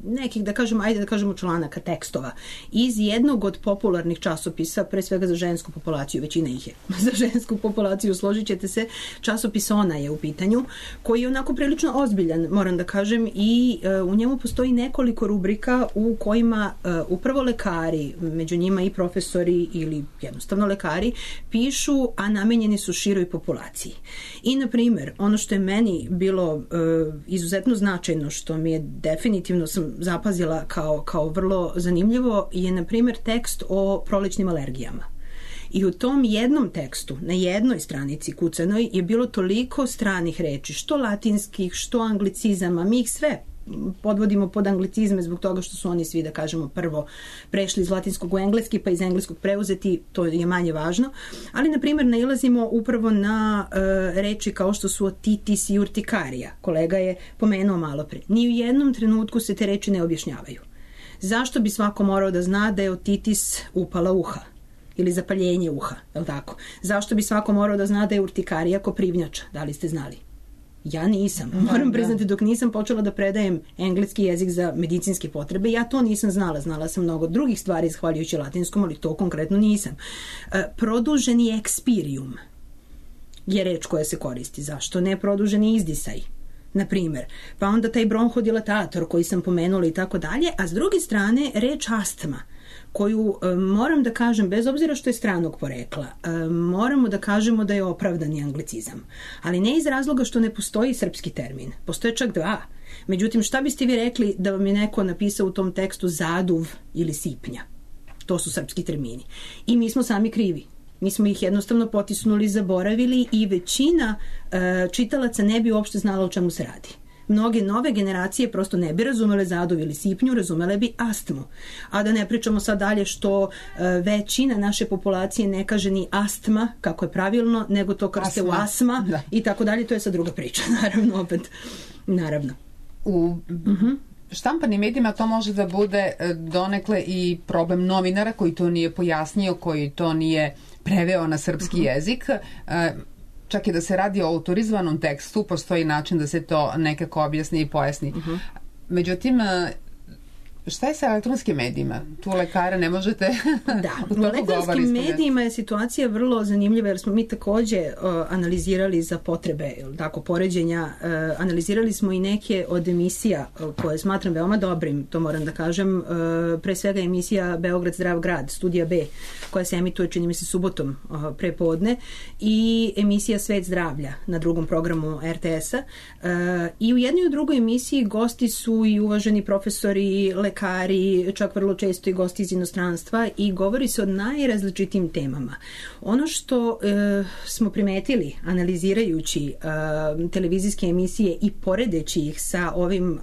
nekih, da kažemo, ajde da kažemo članaka, tekstova iz jednog od popularnih časopisa, pre svega za žensku populaciju, većina ih je za žensku populaciju, složit ćete se, časopis Ona je u pitanju, koji je onako prilično ozbiljan, moram da kažem, i uh, u njemu postoji nekoliko rubrika u kojima uh, upravo lekari, među njima i profesori ili jednostavno lekari, pišu, a namenjeni su široj populaciji. I, na primjer, ono što je meni bilo uh, izuzetno značajno, što mi je definitivno sam zapazila kao, kao vrlo zanimljivo, je na primjer tekst o prolećnim alergijama. I u tom jednom tekstu, na jednoj stranici kucanoj, je bilo toliko stranih reči, što latinskih, što anglicizama, mi ih sve podvodimo pod anglicizme zbog toga što su oni svi, da kažemo, prvo prešli iz latinskog u engleski, pa iz engleskog preuzeti, to je manje važno. Ali, na primjer, nailazimo upravo na uh, reči kao što su otitis i urtikarija. Kolega je pomenuo malo pre. Ni u jednom trenutku se te reči ne objašnjavaju. Zašto bi svako morao da zna da je otitis upala uha? Ili zapaljenje uha, je li tako? Zašto bi svako morao da zna da je urtikarija koprivnjača? Da li ste znali? Ja nisam. Moram priznati, dok nisam počela da predajem engleski jezik za medicinske potrebe, ja to nisam znala. Znala sam mnogo drugih stvari zahvaljujući latinskom, ali to konkretno nisam. Produženi ekspirium je reč koja se koristi. Zašto ne produženi izdisaj? Na primjer. Pa onda taj bronhodilatator koji sam pomenula i tako dalje, a s druge strane reč astma, koju e, moram da kažem, bez obzira što je stranog porekla, e, moramo da kažemo da je opravdani anglicizam. Ali ne iz razloga što ne postoji srpski termin. Postoje čak dva. Međutim, šta biste vi rekli da vam je neko napisao u tom tekstu zaduv ili sipnja? To su srpski termini. I mi smo sami krivi. Mi smo ih jednostavno potisnuli, zaboravili i većina e, čitalaca ne bi uopšte znala o čemu se radi. Mnoge nove generacije prosto ne bi razumele zaduv ili sipnju, razumele bi astmu. A da ne pričamo sad dalje što e, većina naše populacije ne kaže ni astma, kako je pravilno, nego to krste u asma da. I tako dalje. To je sad druga priča, naravno, opet. Naravno. U uh-huh. štampanim medijima to može da bude donekle i problem novinara koji to nije pojasnio, koji to nije preveo na srpski uh-huh. jezik. E, čak i da se radi o autorizovanom tekstu, postoji način da se to nekako objasni i pojasni. Uh-huh. Međutim, šta je sa elektronskim medijima? Tu lekara ne možete... Da, u elektronskim medijima je situacija vrlo zanimljiva jer smo mi takođe uh, analizirali za potrebe tako, poređenja, uh, analizirali smo i neke od emisija uh, koje smatram veoma dobrim, to moram da kažem, uh, pre svega emisija Beograd zdrav grad, studija B, koja se emituje, čini mi se, subotom uh, pre podne, i emisija Svet zdravlja na drugom programu er te es-a. Uh, I u jednoj i u drugoj emisiji gosti su i uvaženi profesori, lekari, čak vrlo često i gosti iz inostranstva, i govori se o najrazličitim temama. Ono što e, smo primetili analizirajući e, televizijske emisije i poredeći ih sa ovim e,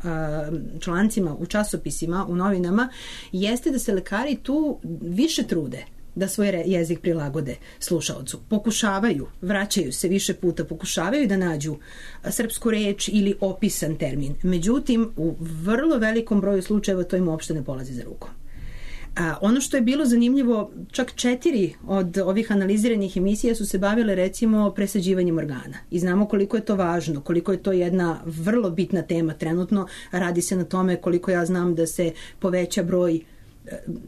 člancima u časopisima, u novinama, jeste da se lekari tu više trude da svoj jezik prilagode slušaocu. Pokušavaju, vraćaju se više puta, pokušavaju da nađu srpsku reč ili opisan termin. Međutim, u vrlo velikom broju slučajeva to im uopšte ne polazi za rukom. A ono što je bilo zanimljivo, čak četiri od ovih analiziranih emisija su se bavile recimo presađivanjem organa. I znamo koliko je to važno, koliko je to jedna vrlo bitna tema trenutno. Radi se na tome, koliko ja znam, da se poveća broj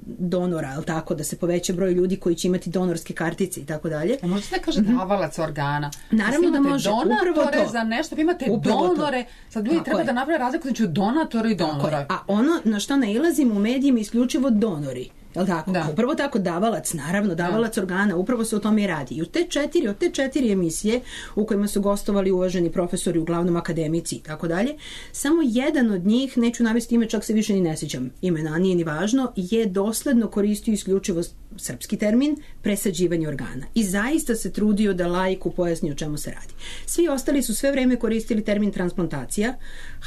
donora, ali tako, da se poveća broj ljudi koji će imati donorske kartice i tako dalje. A možete da kaže davalac organa? Naravno da može, upravo to. Za nešto, vi imate upravo donore, to. Sad ljudi tako treba je. Da naprave razliku između donatora i donora. A ono na što nailazimo u medijima isključivo donori. Je li tako? Da. Upravo tako, davalac, naravno, davalac da. organa, upravo se o tome i radi. I u te četiri, od te četiri emisije u kojima su gostovali uvaženi profesori, uglavnom akademici i tako dalje, samo jedan od njih, neću navesti ime, čak se više ni ne sjećam imena, nije ni važno, je dosledno koristio isključivo srpski termin presađivanje organa. I zaista se trudio da laiku pojasni o čemu se radi. Svi ostali su sve vreme koristili termin transplantacija.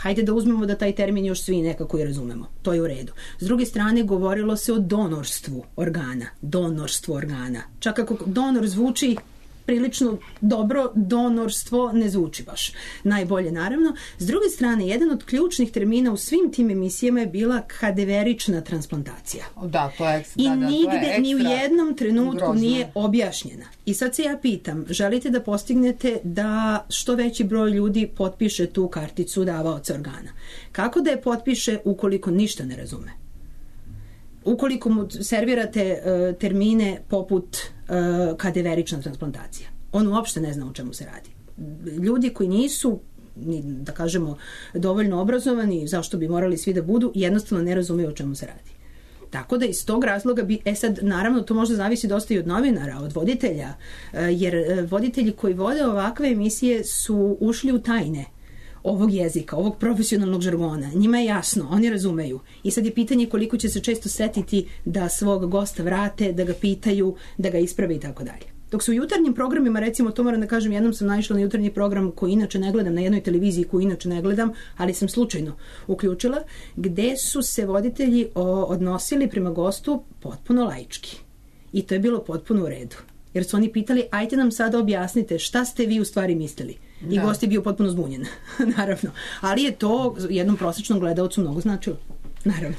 Hajde da uzmemo da taj termin još svi nekako i razumemo. To je u redu. S druge strane, govorilo se o donorstvu organa. Donorstvo organa. Čak ako donor zvuči prilično dobro, donorstvo ne zvuči baš najbolje, naravno. S druge strane, jedan od ključnih termina u svim tim emisijama je bila kadeverična transplantacija. Da, to je, I da, da, nigde, to je ekstra ni u jednom trenutku grozno. Nije objašnjena. I sad se ja pitam, želite da postignete da što veći broj ljudi potpiše tu karticu davaoca organa? Kako da je potpiše ukoliko ništa ne razume? Ukoliko mu servirate uh, termine poput uh, kadeverična transplantacija. On uopšte ne zna o čemu se radi. Ljudi koji nisu, da kažemo, dovoljno obrazovani, zašto bi morali svi da budu, jednostavno ne razumeju o čemu se radi. Tako da iz tog razloga bi, e sad, naravno, to možda zavisi dosta i od novinara, od voditelja, uh, jer uh, voditelji koji vode ovakve emisije su ušli u tajne ovog jezika, ovog profesionalnog žargona. Njima je jasno, oni razumeju. I sad je pitanje koliko će se često setiti da svog gosta vrate, da ga pitaju, da ga isprave i tako dalje. Dok su u jutarnjim programima, recimo, to moram da kažem, jednom sam naišla na jutarnji program koji inače ne gledam, na jednoj televiziji koju inače ne gledam, ali sam slučajno uključila, gde su se voditelji o, odnosili prema gostu potpuno laički. I to je bilo potpuno u redu. Jer su oni pitali, ajte nam sada objasnite šta ste vi u stvari mislili. I da. Gost je bio potpuno zbunjen, naravno. Ali je to jednom prosječnom gledalcu mnogo značilo, naravno.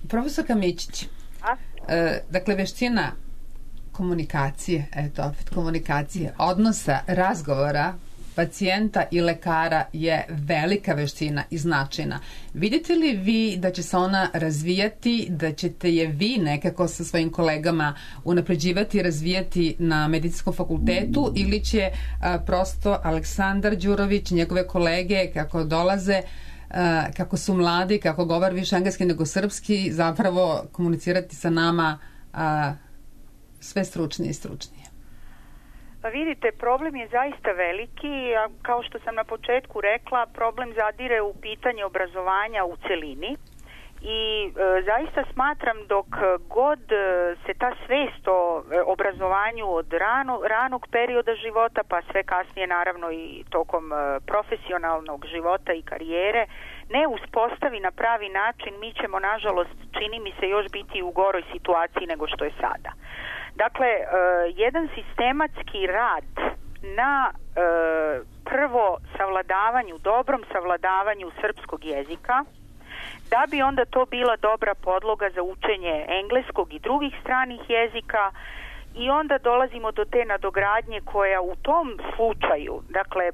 Profesorka Mićić, e, dakle, veština komunikacije, eto opet komunikacije, odnosa, razgovora pacijenta i lekara je velika veština i značajna. Vidite li vi da će se ona razvijati, da ćete je vi nekako sa svojim kolegama unapređivati i razvijati na medicinskom fakultetu ili će a, prosto Aleksandar Đurović, njegove kolege kako dolaze, a, kako su mladi, kako govor više engleski nego srpski, zapravo komunicirati sa nama a, sve stručnije i stručnije? Pa vidite, problem je zaista veliki, a kao što sam na početku rekla, problem zadire u pitanje obrazovanja u celini i e, zaista smatram dok god se ta svest o obrazovanju od rano, ranog perioda života, pa sve kasnije naravno i tokom e, profesionalnog života i karijere, ne uspostavi na pravi način, mi ćemo, nažalost, čini mi se, još biti u goroj situaciji nego što je sada. Dakle, uh, jedan sistematski rad na uh, prvo savladavanju, dobrom savladavanju srpskog jezika, da bi onda to bila dobra podloga za učenje engleskog i drugih stranih jezika, i onda dolazimo do te nadogradnje koja u tom slučaju, dakle,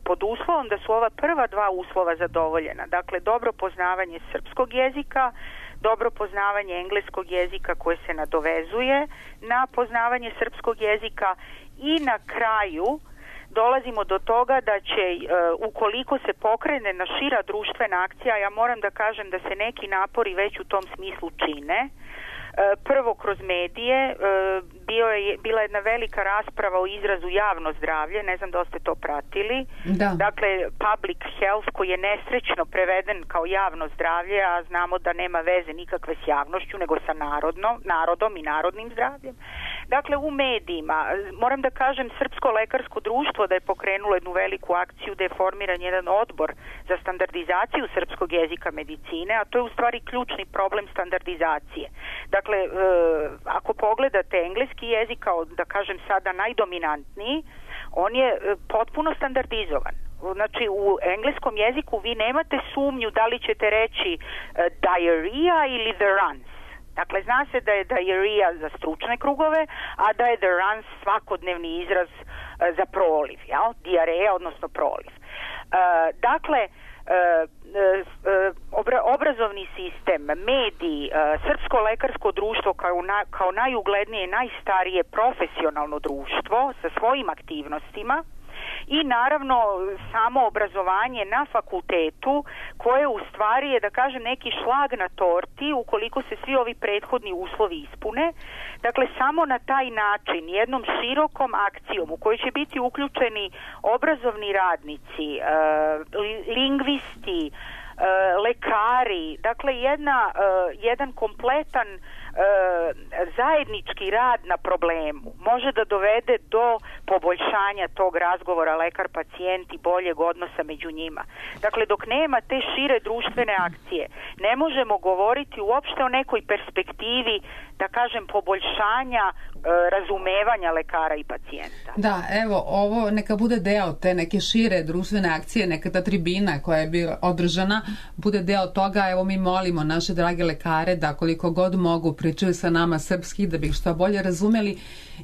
pod uslovom da su ova prva dva uslova zadovoljena, dakle, dobro poznavanje srpskog jezika, dobro poznavanje engleskog jezika koje se nadovezuje na poznavanje srpskog jezika, i na kraju dolazimo do toga da će, ukoliko se pokrene na šira društvena akcija, ja moram da kažem da se neki napori već u tom smislu čine. Prvo kroz medije, bio je, bila je jedna velika rasprava o izrazu javno zdravlje, ne znam da ste to pratili. Da. Dakle, public health, koji je nesrećno preveden kao javno zdravlje, a znamo da nema veze nikakve s javnošću, nego sa narodno, narodom i narodnim zdravljem. Dakle, u medijima, moram da kažem, Srpsko lekarsko društvo da je pokrenulo jednu veliku akciju, da je formiran jedan odbor za standardizaciju srpskog jezika medicine, a to je u stvari ključni problem standardizacije. Dakle, e, ako pogledate engleski jezik kao, da kažem sada, najdominantniji, on je e, potpuno standardizovan. Znači, u engleskom jeziku vi nemate sumnju da li ćete reći e, diarrhea ili the runs. Dakle, zna se da je diarrhea za stručne krugove, a da je the runs svakodnevni izraz e, za proliv, jel? Diareja, odnosno proliv. E, dakle, e, e, obra, obrazovni sistem, mediji, e, Srpsko lekarsko društvo kao, na, kao najuglednije, najstarije profesionalno društvo sa svojim aktivnostima i naravno samo obrazovanje na fakultetu koje u stvari je, da kažem, neki šlag na torti ukoliko se svi ovi prethodni uslovi ispune. Dakle, samo na taj način, jednom širokom akcijom u kojoj će biti uključeni obrazovni radnici, e, lingvisti, e, lekari, dakle jedna, e, jedan kompletan e, zajednički rad na problemu može da dovede do poboljšanja tog razgovora lekar-pacijent i boljeg odnosa među njima. Dakle, dok nema te šire društvene akcije, ne možemo govoriti uopšte o nekoj perspektivi, da kažem, poboljšanja e, razumevanja lekara i pacijenta. Da, evo, ovo neka bude deo te neke šire društvene akcije, neka ta tribina koja je bila održana bude deo toga. Evo, mi molimo naše drage lekare da koliko god mogu pričaju sa nama srpski, da bi ih što bolje razumeli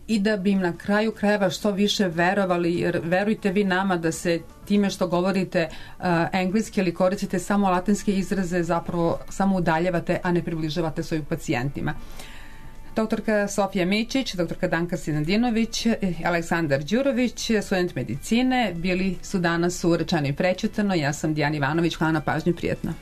i da bi im na kraju krajeva što više verovali, jer verujte vi nama da se time što govorite uh, engleski ili koristite samo latinske izraze zapravo samo udaljavate, a ne približavate svojim pacijentima. Doktorka Sofija Mićić, doktorka Danka Sinadinović, Aleksandar Đurović, student medicine, bili su danas u Rečeno i prečitano. Ja sam Dijana Ivanović, hvala na pažnju, prijetno.